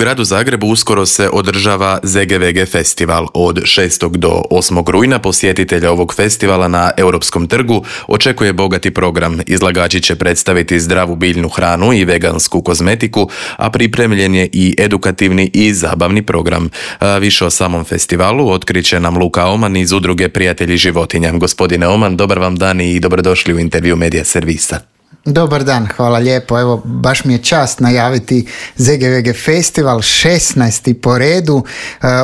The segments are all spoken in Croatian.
gradu Zagrebu uskoro se održava ZGVG festival. Od 6. do 8. rujna posjetitelja ovog festivala na Europskom trgu očekuje bogati program. Izlagači će predstaviti zdravu biljnu hranu i vegansku kozmetiku, a pripremljen je i edukativni i zabavni program. Više o samom festivalu otkriće nam Luka Oman iz udruge Prijatelji životinja. Gospodine Oman, dobar vam dan i dobrodošli u intervju Medija servisa. Dobar dan, hvala lijepo. Evo, baš mi je čast najaviti ZGVG festival, 16. po redu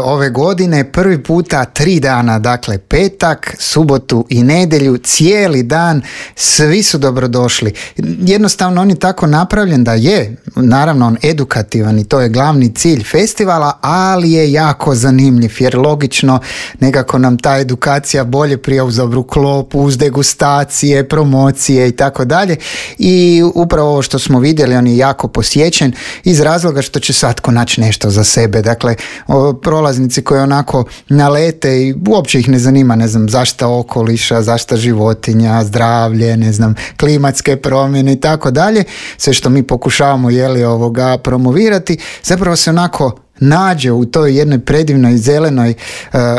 ove godine, prvi puta 3 dana, dakle petak, subotu i nedjelju, cijeli dan, svi su dobrodošli. Jednostavno on je tako napravljen da je, naravno on edukativan i to je glavni cilj festivala, ali je jako zanimljiv jer logično nekako nam ta edukacija bolje prija uz dobru klopu, uz degustacije, promocije i tako dalje. I upravo ovo što smo vidjeli, on je jako posjećen iz razloga što će svatko naći nešto za sebe. Dakle, prolaznici koji onako nalete i uopće ih ne zanima, ne znam, zaštita okoliša, zaštita životinja, zdravlje, ne znam, klimatske promjene i tako dalje, sve što mi pokušavamo promovirati, zapravo se onako nađe u toj jednoj predivnoj zelenoj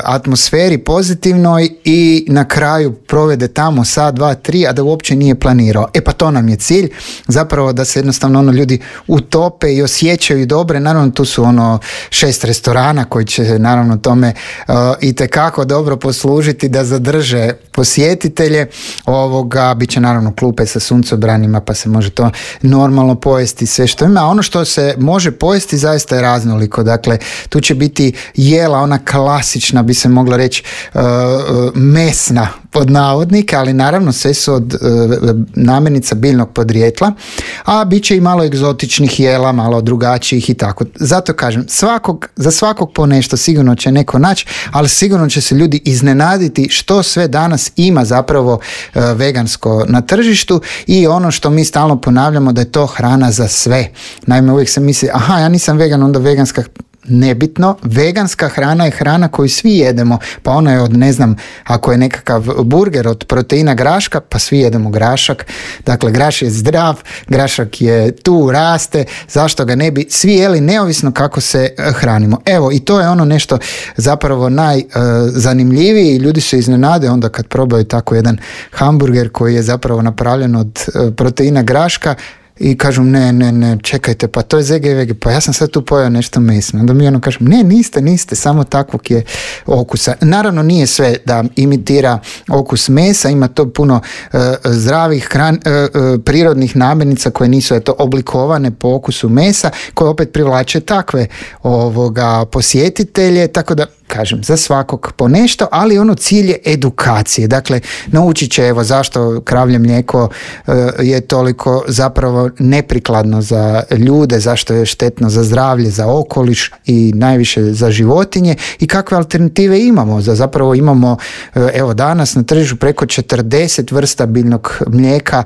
atmosferi, pozitivnoj, i na kraju provede tamo sat, 2, 3, a da uopće nije planirao. Pa to nam je cilj, zapravo da se jednostavno ljudi utope i osjećaju dobre. Naravno tu su 6 restorana koji će naravno tome itekako dobro poslužiti da zadrže posjetitelje. Biće naravno klupe sa suncobranima, pa se može to normalno pojesti sve što ima. A ono što se može pojesti zaista je raznoliko. Dakle, tu će biti jela, ona klasična, bi se mogla reći, mesna pod navodnika, ali naravno sve su od namirnica biljnog podrijetla, a bit će i malo egzotičnih jela, malo drugačijih i tako. Zato kažem, za svakog po nešto sigurno će neko naći, ali sigurno će se ljudi iznenaditi što sve danas ima zapravo vegansko na tržištu, i ono što mi stalno ponavljamo, da je to hrana za sve. Naime, uvijek se misli, ja nisam vegan, onda veganska. Nebitno, veganska hrana je hrana koju svi jedemo, pa ona je od, ne znam, ako je nekakav burger od proteina graška, pa svi jedemo grašak. Dakle, graš je zdrav, grašak je tu, raste, zašto ga ne bi svi jeli, neovisno kako se hranimo. Evo, i to je ono nešto zapravo najzanimljivije, i ljudi se iznenade onda kad probaju tako jedan hamburger koji je zapravo napravljen od proteina graška, i kažu ne, čekajte, pa to je ZGVG, pa ja sam sad tu pojeo nešto mesno. Onda mi kažem, niste, samo takvog je okusa. Naravno nije sve da imitira okus mesa, ima to puno zdravih prirodnih namirnica koje nisu oblikovane po okusu mesa, koje opet privlače takve posjetitelje, tako da kažem, za svakog po nešto, ali cilj je edukacije. Dakle, naučit će zašto kravlje mlijeko je toliko zapravo neprikladno za ljude, zašto je štetno za zdravlje, za okoliš i najviše za životinje, i kakve alternative imamo. Zapravo imamo danas na tržištu preko 40 vrsta biljnog mlijeka,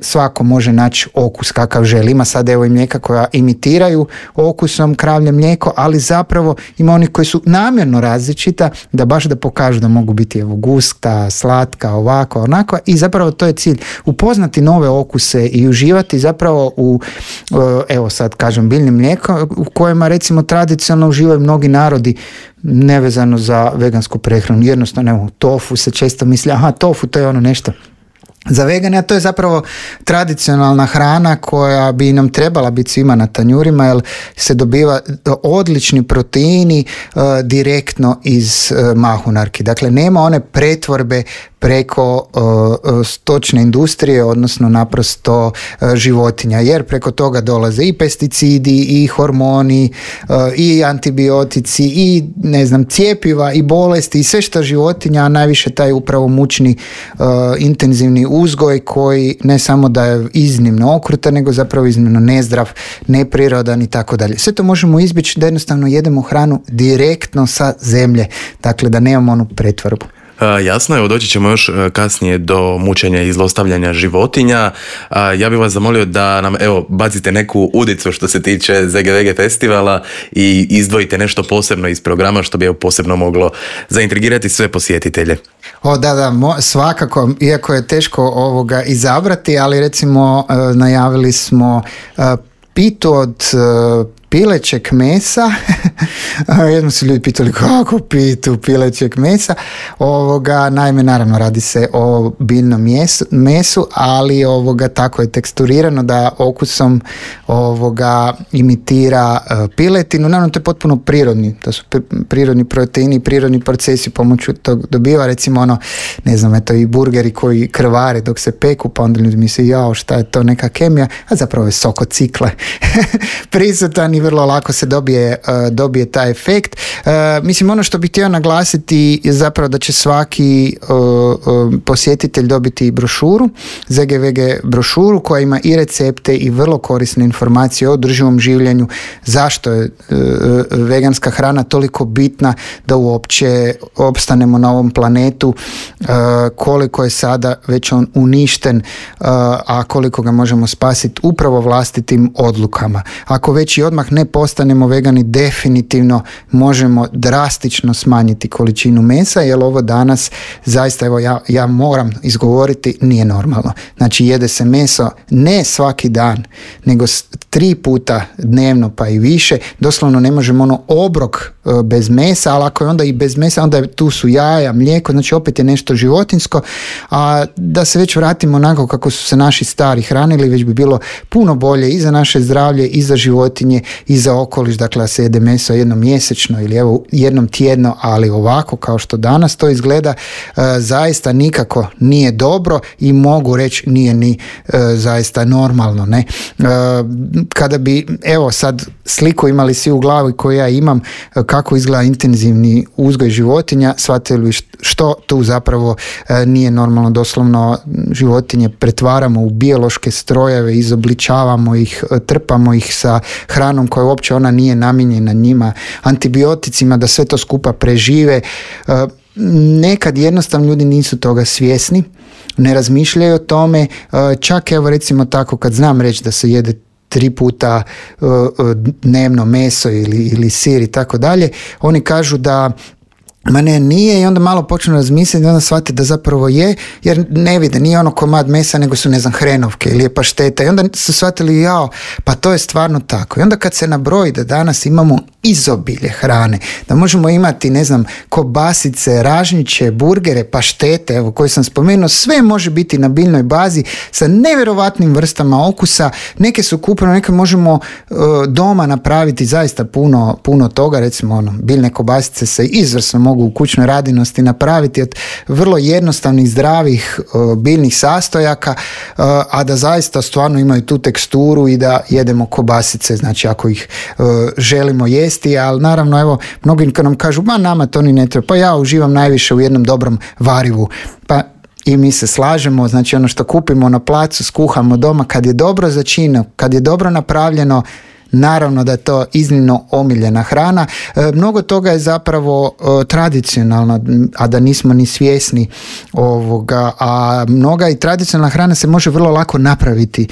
svako može naći okus kakav želi. Ima sad i mlijeka koja imitiraju okusom kravlje mlijeko, ali zapravo ima onih koji su namjerno različita, da baš da pokažu da mogu biti gusta, slatka, ovako, onako, i zapravo to je cilj, upoznati nove okuse i uživati zapravo u sad kažem biljnim mlijekom, u kojima recimo tradicionalno uživaju mnogi narodi nevezano za vegansku prehranu. Jednostavno, tofu se često misli, tofu to je nešto za vegane, a to je zapravo tradicionalna hrana koja bi nam trebala biti svima na tanjurima, jer se dobiva odlični proteini direktno iz mahunarki. Dakle, nema one pretvorbe preko stočne industrije, odnosno naprosto životinja, jer preko toga dolaze i pesticidi, i hormoni, i antibiotici, i cjepiva, i bolesti, i sve što životinja, a najviše taj upravo mučni intenzivni uzgoj koji ne samo da je iznimno okrutan, nego zapravo iznimno nezdrav, neprirodan i tako dalje. Sve to možemo izbjeći da jednostavno jedemo hranu direktno sa zemlje, dakle da nemamo onu pretvorbu. Jasno je, doći ćemo još kasnije do mučenja i zlostavljanja životinja. Ja bih vas zamolio da nam bacite neku udicu što se tiče ZGVG festivala i izdvojite nešto posebno iz programa što bi posebno moglo zaintrigirati sve posjetitelje. Da, svakako, iako je teško izabrati, ali recimo najavili smo pitu od pilećeg mesa. Jednom su ljudi pitali kako pitu pilećeg mesa. Naime, naravno radi se o biljnom mesu, ali tako je teksturirano da okusom imitira piletinu. Naravno, to je potpuno prirodni. To su prirodni proteini, prirodni procesi pomoću tog dobiva. Recimo i burgeri koji krvare dok se peku, pa onda ljudi misle, jao, šta je to, neka kemija, a zapravo je sok od cikle prisutan i vrlo lako se dobije taj efekt. Mislim, ono što bih htio naglasiti je zapravo da će svaki posjetitelj dobiti brošuru, ZGVG brošuru koja ima i recepte i vrlo korisne informacije o održivom življenju, zašto je veganska hrana toliko bitna da uopće opstanemo na ovom planetu, koliko je sada već on uništen, a koliko ga možemo spasiti upravo vlastitim odlukama. Ako već i odmah ne postanemo vegani, definitivno možemo drastično smanjiti količinu mesa, jer ovo danas zaista, evo ja moram izgovoriti, nije normalno. Znači, jede se meso ne svaki dan, nego 3 puta dnevno pa i više. Doslovno ne možemo obrok bez mesa, ali ako je onda i bez mesa, onda tu su jaja, mlijeko, znači opet je nešto životinjsko. A da se već vratimo onako kako su se naši stari hranili, već bi bilo puno bolje i za naše zdravlje, i za životinje, i za okoliš, dakle da se jede meso jednom mjesečno ili evo jednom tjedno, ali ovako kao što danas to izgleda, zaista nikako nije dobro i mogu reći nije ni zaista normalno, ne? Kada bi, evo sad sliku imali svi u glavi koju ja imam, kako izgleda intenzivni uzgoj životinja, shvatili što tu zapravo nije normalno. Doslovno životinje pretvaramo u biološke strojeve, izobličavamo ih, trpamo ih sa hranom koja uopće ona nije namijenjena njima, antibioticima da sve to skupa prežive. Nekad jednostavno ljudi nisu toga svjesni, ne razmišljaju o tome, čak evo recimo tako kad znam reći da se jede 3 puta dnevno meso ili sir i tako dalje, oni kažu da ma ne, nije, i onda malo počnu razmisliti i onda shvate da zapravo je, jer ne vide, nije ono komad mesa, nego su, hrenovke ili je pašteta, i onda su shvatili, jao, pa to je stvarno tako. I onda kad se nabroji da danas imamo izobilje hrane, da možemo imati, kobasice, ražnjiće, burgere, paštete, evo, koje sam spomenuo, sve može biti na biljnoj bazi sa nevjerovatnim vrstama okusa, neke su kupljene, neke možemo doma napraviti zaista puno toga, recimo biljne kobasice se izvrsno mogu u kućnoj radinosti napraviti od vrlo jednostavnih, zdravih biljnih sastojaka, a da zaista stvarno imaju tu teksturu i da jedemo kobasice, znači ako ih želimo jesti, ali naravno evo, mnogi kad nam kažu, ma nama to ni ne treba, pa ja uživam najviše u jednom dobrom varivu, pa i mi se slažemo, znači ono što kupimo na placu, skuhamo doma, kad je dobro začinjeno, kad je dobro napravljeno, naravno da je to iznimno omiljena hrana. Mnogo toga je zapravo tradicionalno, a da nismo ni svjesni ovoga, a mnoga i tradicionalna hrana se može vrlo lako napraviti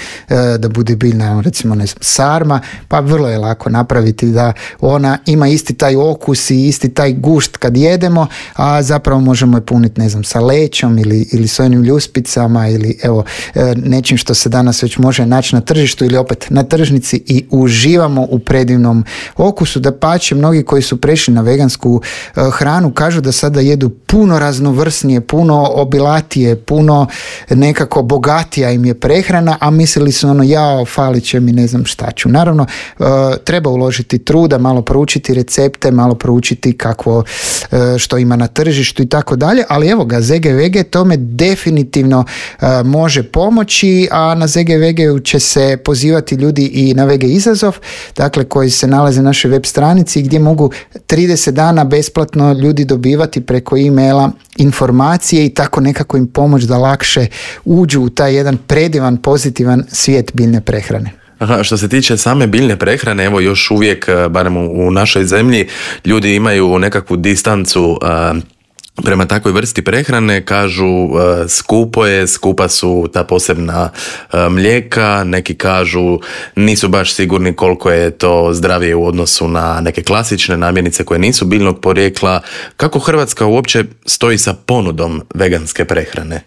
da bude biljna, recimo sarma, pa vrlo je lako napraviti da ona ima isti taj okus i isti taj gušt kad jedemo, a zapravo možemo je puniti, sa lećom ili sojenim ljuspicama ili evo nečim što se danas već može naći na tržištu ili opet na tržnici i uživamo u predivnom okusu. Dapače, mnogi koji su prešli na vegansku hranu kažu da sada jedu puno raznovrsnije, puno obilatije, puno nekako bogatija im je prehrana, a mislili su jao, falit će mi, ne znam šta ću. Naravno, treba uložiti truda, malo proučiti recepte, malo proučiti kakvo što ima na tržištu i tako dalje, ali evo ga, ZGVG tome definitivno može pomoći, a na ZGVG će se pozivati ljudi i na VG izazov, dakle koji se nalaze na našoj web stranici gdje mogu 30 dana besplatno ljudi dobivati preko e-maila informacije i tako nekako im pomoći da lakše uđu u taj jedan predivan, pozitivan svijet biljne prehrane. Aha, što se tiče same biljne prehrane, evo još uvijek, barem u našoj zemlji, ljudi imaju nekakvu distancu prema takvoj vrsti prehrane, kažu skupa su ta posebna mlijeka, neki kažu nisu baš sigurni koliko je to zdravije u odnosu na neke klasične namirnice koje nisu biljnog porijekla. Kako Hrvatska uopće stoji sa ponudom veganske prehrane?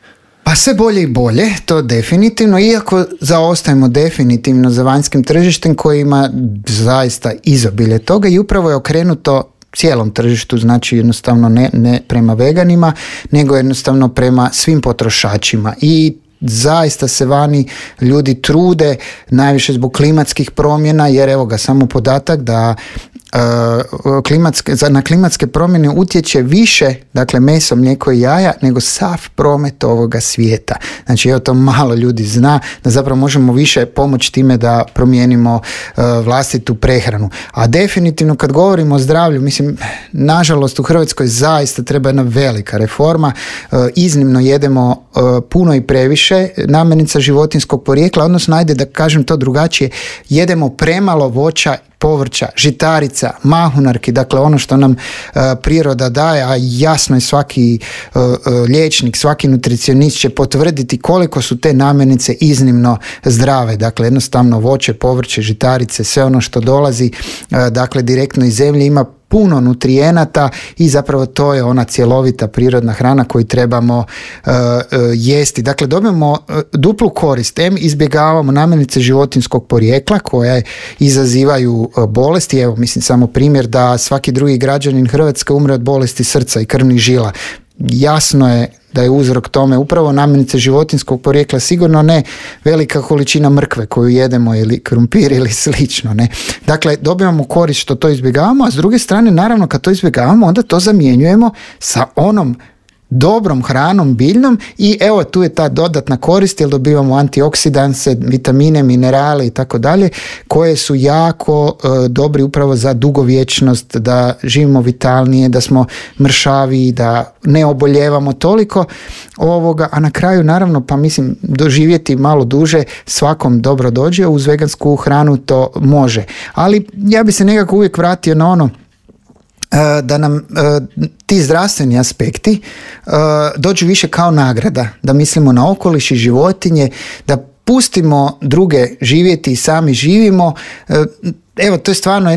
Pa sve bolje i bolje, to definitivno, iako zaostajemo definitivno za vanjskim tržištem koji ima zaista izobilje toga i upravo je okrenuto cijelom tržištu, znači jednostavno ne prema veganima, nego jednostavno prema svim potrošačima i zaista se vani ljudi trude, najviše zbog klimatskih promjena, jer evo ga samo podatak da na klimatske promjene utječe više, dakle meso, mlijeko i jaja, nego sav promet ovoga svijeta. Znači evo to malo ljudi zna, da zapravo možemo više pomoći time da promijenimo vlastitu prehranu. A definitivno kad govorimo o zdravlju, mislim, nažalost u Hrvatskoj zaista treba jedna velika reforma, iznimno jedemo puno i previše namirnica životinjskog porijekla, odnosno ajde da kažem to drugačije, jedemo premalo voća, povrća, žitarica, mahunarki, dakle ono što nam priroda daje, a jasno je svaki liječnik, svaki nutricionist će potvrditi koliko su te namirnice iznimno zdrave, dakle jednostavno voće, povrće, žitarice, sve ono što dolazi dakle direktno iz zemlje ima puno nutrijenata i zapravo to je ona cjelovita prirodna hrana koju trebamo jesti. Dakle, dobijemo duplu korist. Izbjegavamo namirnice životinjskog porijekla koje izazivaju bolesti. Evo, mislim samo primjer da svaki drugi građanin Hrvatske umre od bolesti srca i krvnih žila. Jasno je da je uzrok tome upravo namirnice životinjskog porijekla, sigurno ne velika količina mrkve koju jedemo ili krumpir ili slično. Ne? Dakle, dobivamo korist što to izbjegavamo, a s druge strane, naravno, kad to izbjegavamo, onda to zamjenjujemo sa onom dobrom hranom, biljnom i evo tu je ta dodatna korist jer dobivamo antioksidanse, vitamine, minerale i tako dalje koje su jako dobri upravo za dugovječnost, da živimo vitalnije, da smo mršaviji, da ne oboljevamo toliko ovoga, a na kraju naravno pa mislim doživjeti malo duže svakom dobro dođe, uz vegansku hranu to može. Ali ja bi se nekako uvijek vratio na ono da nam ti zdravstveni aspekti dođu više kao nagrada, da mislimo na okoliš i životinje, da pustimo druge živjeti i sami živimo. Evo, to je stvarno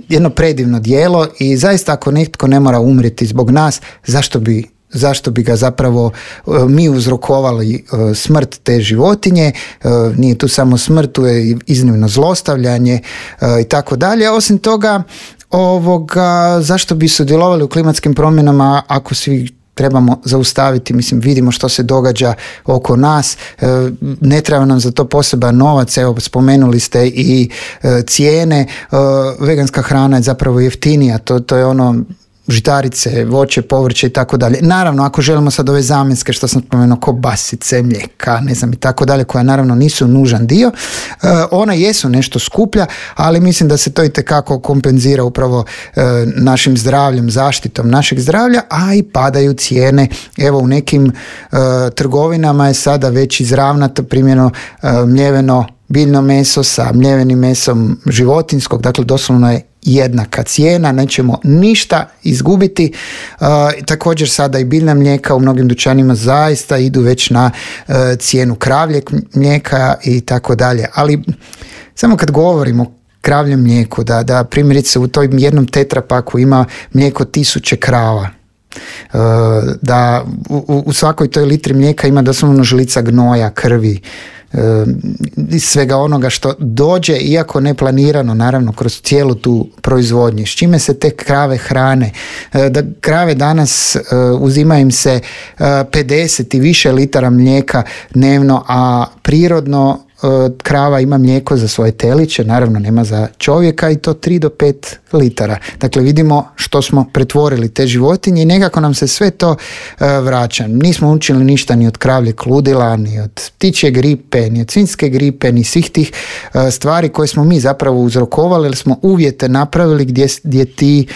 jedno predivno djelo i zaista ako netko ne mora umrijeti zbog nas, zašto bi ga zapravo mi uzrokovali smrt te životinje, nije tu samo smrt, tu je iznimno zlostavljanje i tako dalje. Osim toga, zašto bi sudjelovali u klimatskim promjenama ako svi trebamo zaustaviti, mislim vidimo što se događa oko nas, ne treba nam za to poseban novac, evo spomenuli ste i cijene, veganska hrana je zapravo jeftinija, to je ono žitarice, voće, povrće i tako dalje. Naravno, ako želimo sad ove zamjenske, što sam spomenuo, kobasice, mlijeka, ne znam i tako dalje, koja naravno nisu nužan dio, ona jesu nešto skuplja, ali mislim da se to itekako kompenzira upravo našim zdravljem, zaštitom našeg zdravlja, a i padaju cijene. Evo u nekim trgovinama je sada već izravnato primjeno mljeveno biljno meso sa mljevenim mesom životinjskog, dakle doslovno je jednaka cijena, nećemo ništa izgubiti. Također sada i biljna mlijeka u mnogim dućanima zaista idu već na cijenu kravljeg mlijeka i tako dalje. Ali samo kad govorimo o kravljem mlijeku, da primjerice u tom jednom tetrapaku ima mlijeko 1000 krava, da u svakoj toj litri mlijeka ima doslovno žlica gnoja, krvi, svega onoga što dođe, iako neplanirano, naravno kroz cijelu tu proizvodnju. S čime se te krave hrane? Da krave danas uzima im se 50 i više litara mlijeka dnevno, a prirodno krava ima mlijeko za svoje teliće, naravno nema za čovjeka, i to 3 do 5 litara. Dakle, vidimo što smo pretvorili te životinje i nekako nam se sve to vraća. Nismo učili ništa ni od kravljeg ludila, ni od ptičje gripe, ni od svinjske gripe, ni svih tih stvari koje smo mi zapravo uzrokovali, jer smo uvjete napravili gdje ti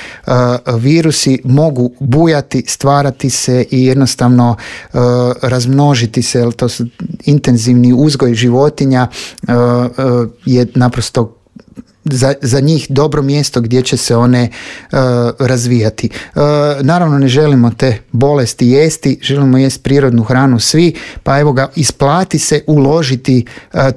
virusi mogu bujati, stvarati se i jednostavno razmnožiti se, jer to su intenzivni uzgoj životinja je naprosto za njih dobro mjesto gdje će se one razvijati. Naravno ne želimo te bolesti jesti, želimo jesti prirodnu hranu svi, pa evo ga, isplati se uložiti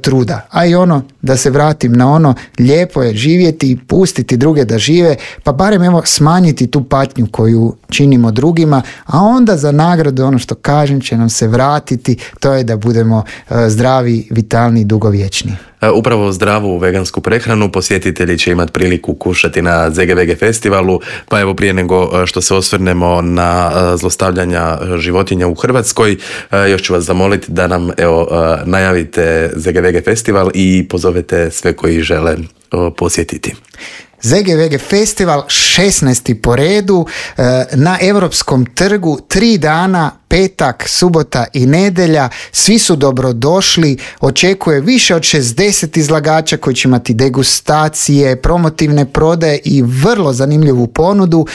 truda. A i ono da se vratim na ono, lijepo je živjeti i pustiti druge da žive, pa barem evo smanjiti tu patnju koju činimo drugima, a onda za nagradu ono što kažem će nam se vratiti, to je da budemo zdravi, vitalni i dugovječni. Upravo zdravu vegansku prehranu posjetitelji će imati priliku kušati na ZGVG festivalu, pa evo prije nego što se osvrnemo na zlostavljanja životinja u Hrvatskoj, još ću vas zamoliti da nam najavite ZGVG festival i pozovete sve koji žele posjetiti. ZGVG festival 16. po redu na Europskom trgu, 3 dana, petak, subota i nedjelja. Svi su dobrodošli, očekuje više od 60 izlagača koji će imati degustacije, promotivne prodaje i vrlo zanimljivu ponudu.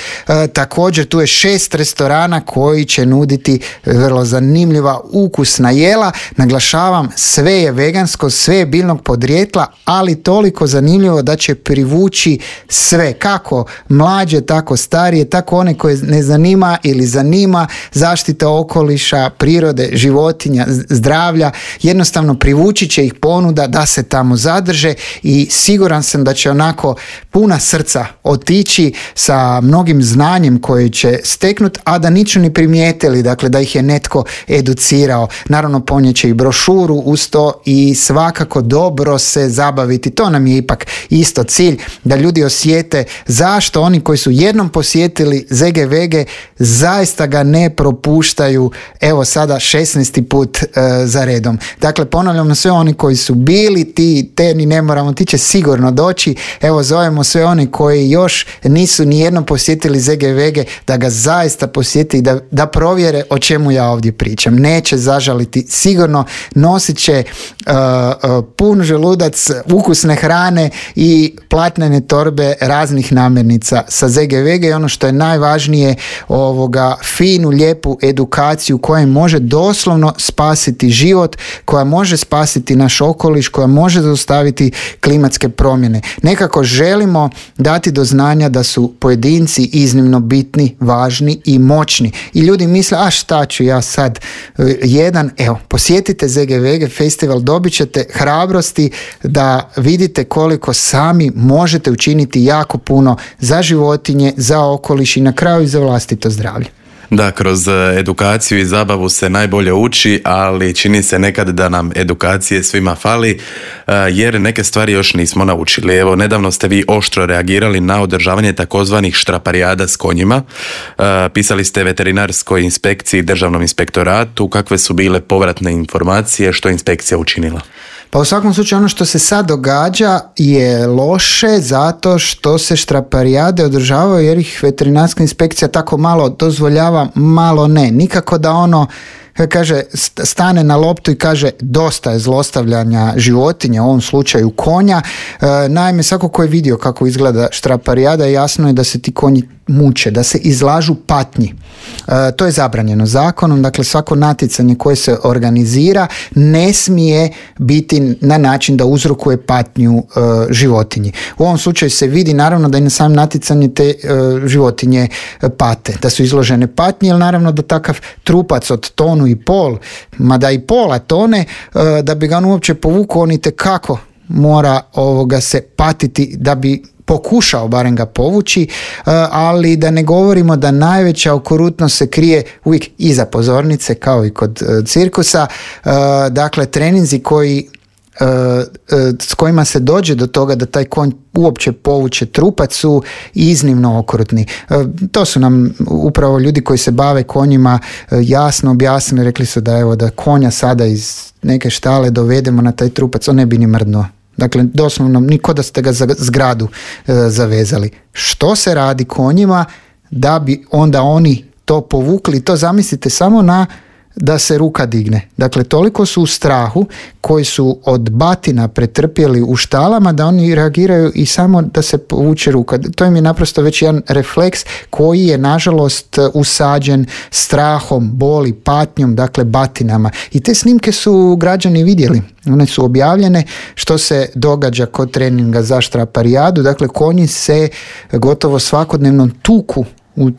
Također tu je 6 restorana koji će nuditi vrlo zanimljiva ukusna jela. Naglašavam, sve je vegansko, sve je biljnog podrijetla, ali toliko zanimljivo da će privući sve, kako mlađe, tako starije, tako one koje ne zanima ili zanima zaštita okoliša, prirode, životinja, zdravlja. Jednostavno privući će ih ponuda da se tamo zadrže i siguran sam da će onako puna srca otići sa mnogim znanjem koje će steknuti, a da niču ni primijetili, dakle da ih je netko educirao. Naravno ponijeće i brošuru uz to i svakako dobro se zabaviti. To nam je ipak isto cilj, da ljudi osjete zašto oni koji su jednom posjetili ZGVG zaista ga ne propuštaju, evo sada 16. put za redom. Dakle, ponavljamo, sve oni koji su bili, te ni ne moramo, ti će sigurno doći. Evo, zovemo sve oni koji još nisu ni jednom posjetili ZGVG da ga zaista posjeti i da provjere o čemu ja ovdje pričam. Neće zažaliti, sigurno nosit će pun želudac ukusne hrane i platnene torbe raznih namirnica sa ZGVG i ono što je najvažnije, finu, lijepu edukaciju koja može doslovno spasiti život, koja može spasiti naš okoliš, koja može zaustaviti klimatske promjene. Nekako želimo dati do znanja da su pojedinci iznimno bitni, važni i moćni. I ljudi misle, a šta ću ja sad jedan? Evo, posjetite ZGVG festival, dobit ćete hrabrosti da vidite koliko sami možete učiniti jako puno za životinje, za okoliš i na kraju i za vlastito zdravlje. Da, kroz edukaciju i zabavu se najbolje uči, ali čini se nekad da nam edukacije svima fali, jer neke stvari još nismo naučili. Evo, nedavno ste vi oštro reagirali na održavanje takozvanih štraparijada s konjima. Pisali ste veterinarskoj inspekciji, državnom inspektoratu, kakve su bile povratne informacije, što je inspekcija učinila? Pa u svakom slučaju ono što se sad događa je loše zato što se štraparijade održavaju jer ih veterinarska inspekcija tako malo dozvoljava, malo ne. Nikako da ono kaže, stane na loptu i kaže dosta je zlostavljanja životinja, u ovom slučaju konja. Naime, svako ko je vidio kako izgleda štraparijada, jasno je da se ti konji muče, da se izlažu patnji. To je zabranjeno zakonom, dakle svako natjecanje koje se organizira ne smije biti na način da uzrokuje patnju životinji. U ovom slučaju se vidi naravno da i na samom natjecanju te životinje pate, da su izložene patnji, jer naravno da takav trupac od 1,5 tonu, mada i pola tone, da bi ga on uopće povukao, on itekako mora se patiti da bi pokušao barem ga povući, ali da ne govorimo da najveća okrutnost se krije uvijek iza pozornice, kao i kod cirkusa. Dakle, treninzi s kojima se dođe do toga da taj konj uopće povuče trupac su iznimno okrutni. To su nam upravo ljudi koji se bave konjima jasno objasnili, rekli su da konja sada iz neke štale dovedemo na taj trupac, on ne bi ni mrdnuo. Dakle, doslovno niko da ste ga za zgradu zavezali. Što se radi konjima da bi onda oni to povukli? To zamislite samo da se ruka digne. Dakle, toliko su u strahu koji su od batina pretrpjeli u štalama da oni reagiraju i samo da se povuče ruka. To im je naprosto već jedan refleks koji je nažalost usađen strahom, boli, patnjom, dakle batinama. I te snimke su građani vidjeli. One su objavljene što se događa kod treninga za štraparijadu. Dakle, konji se gotovo svakodnevno tuku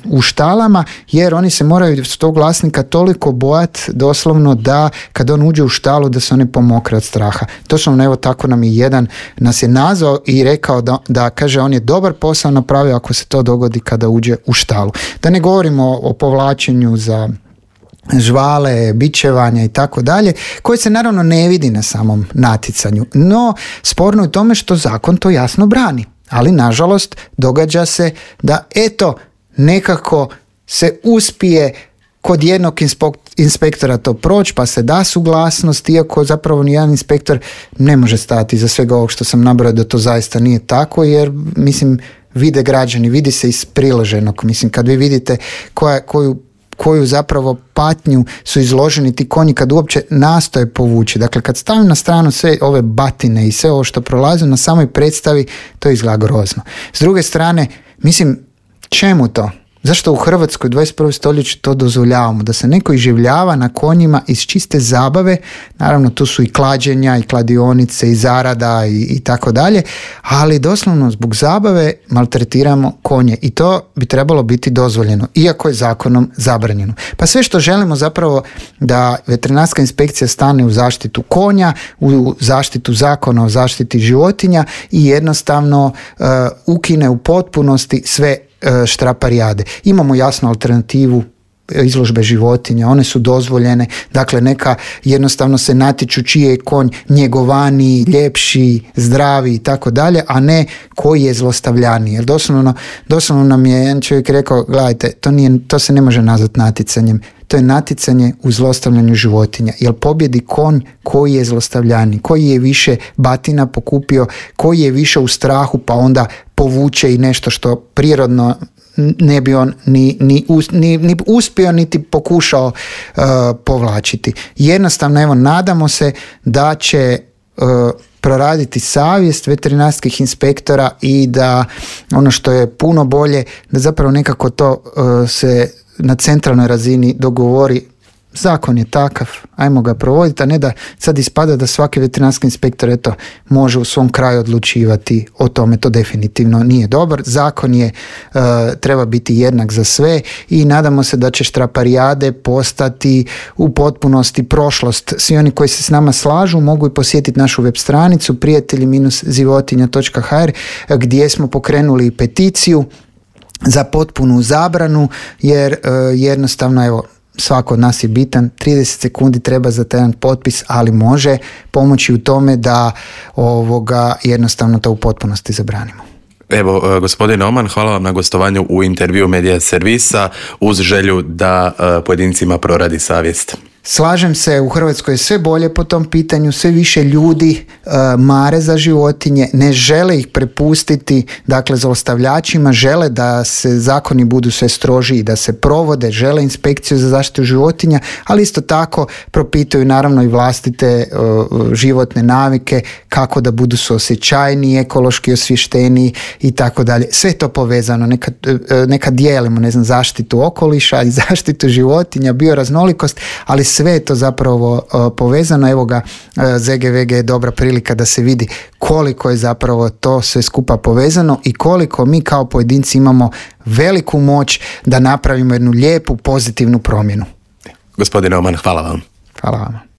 u štalama, jer oni se moraju s tog vlasnika toliko bojati doslovno da kad on uđe u štalu da se oni pomokre od straha. Doslovno evo tako nam je jedan nas je nazvao i rekao da kaže on je dobar posao napravio ako se to dogodi kada uđe u štalu. Da ne govorimo o povlačenju za žvale, bičevanja i tako dalje, koje se naravno ne vidi na samom natjecanju. No, sporno je u tome što zakon to jasno brani. Ali, nažalost, događa se da, eto, nekako se uspije kod jednog inspektora to proći, pa se da suglasnost, iako zapravo nijedan inspektor ne može stati za svega ovog što sam nabrojao da to zaista nije tako, jer, mislim, vide građani, vidi se iz priloženog. Mislim, kad vi vidite koju zapravo patnju su izloženi ti konji kad uopće nastoje povući. Dakle, kad stavim na stranu sve ove batine i sve ovo što prolazi na samoj predstavi, to izgleda grozno. S druge strane, mislim, čemu to? Zašto u Hrvatskoj u 21. stoljeću to dozvoljavamo? Da se neko iživljava na konjima iz čiste zabave, naravno tu su i klađenja i kladionice i zarada i tako dalje, ali doslovno zbog zabave maltretiramo konje i to bi trebalo biti dozvoljeno, iako je zakonom zabranjeno. Pa sve što želimo zapravo da veterinarska inspekcija stane u zaštitu konja, u zaštitu zakona o zaštiti životinja i jednostavno ukine u potpunosti sve štraparijade. Imamo jasnu alternativu izložbe životinja, one su dozvoljene, dakle neka jednostavno se natječu čiji je konj njegovaniji, ljepši, zdravi i tako dalje, a ne koji je zlostavljaniji. Jer doslovno nam je jedan čovjek rekao, gledajte, to se ne može nazvati natjecanjem, to je natjecanje u zlostavljanju životinja, jer pobjedi konj koji je zlostavljaniji, koji je više batina pokupio, koji je više u strahu pa onda povuče i nešto što prirodno ne bi on ni uspio niti pokušao povlačiti. Jednostavno, evo, nadamo se da će proraditi savjest veterinarskih inspektora i da ono što je puno bolje, da zapravo nekako to se na centralnoj razini dogovori. Zakon je takav, ajmo ga provoditi, a ne da sad ispada da svaki veterinarski inspektor može u svom kraju odlučivati o tome. To definitivno nije dobar. Zakon je treba biti jednak za sve i nadamo se da će štraparijade postati u potpunosti prošlost. Svi oni koji se s nama slažu mogu i posjetiti našu web stranicu prijatelji-zivotinja.hr gdje smo pokrenuli peticiju za potpunu zabranu, jer jednostavno, evo, svako od nas je bitan, 30 sekundi treba za taj potpis, ali može pomoći u tome da jednostavno to u potpunosti zabranimo. Evo, gospodine Oman, hvala vam na gostovanju u intervju Medija Servisa uz želju da pojedincima proradi savjest. Slažem se, u Hrvatskoj je sve bolje po tom pitanju, sve više ljudi mare za životinje, ne žele ih prepustiti, dakle, zlostavljačima, žele da se zakoni budu sve strožiji, da se provode, žele inspekciju za zaštitu životinja, ali isto tako propituju naravno i vlastite životne navike, kako da budu suosjećajniji, ekološki osvješteniji i tako dalje. Sve to povezano, neka dijelimo, zaštitu okoliša i zaštitu životinja, bioraznolikost, ali sve je to zapravo povezano. Evo ga, ZGVG je dobra prilika da se vidi koliko je zapravo to sve skupa povezano i koliko mi kao pojedinci imamo veliku moć da napravimo jednu lijepu, pozitivnu promjenu. Gospodine Oman, hvala vam. Hvala vam.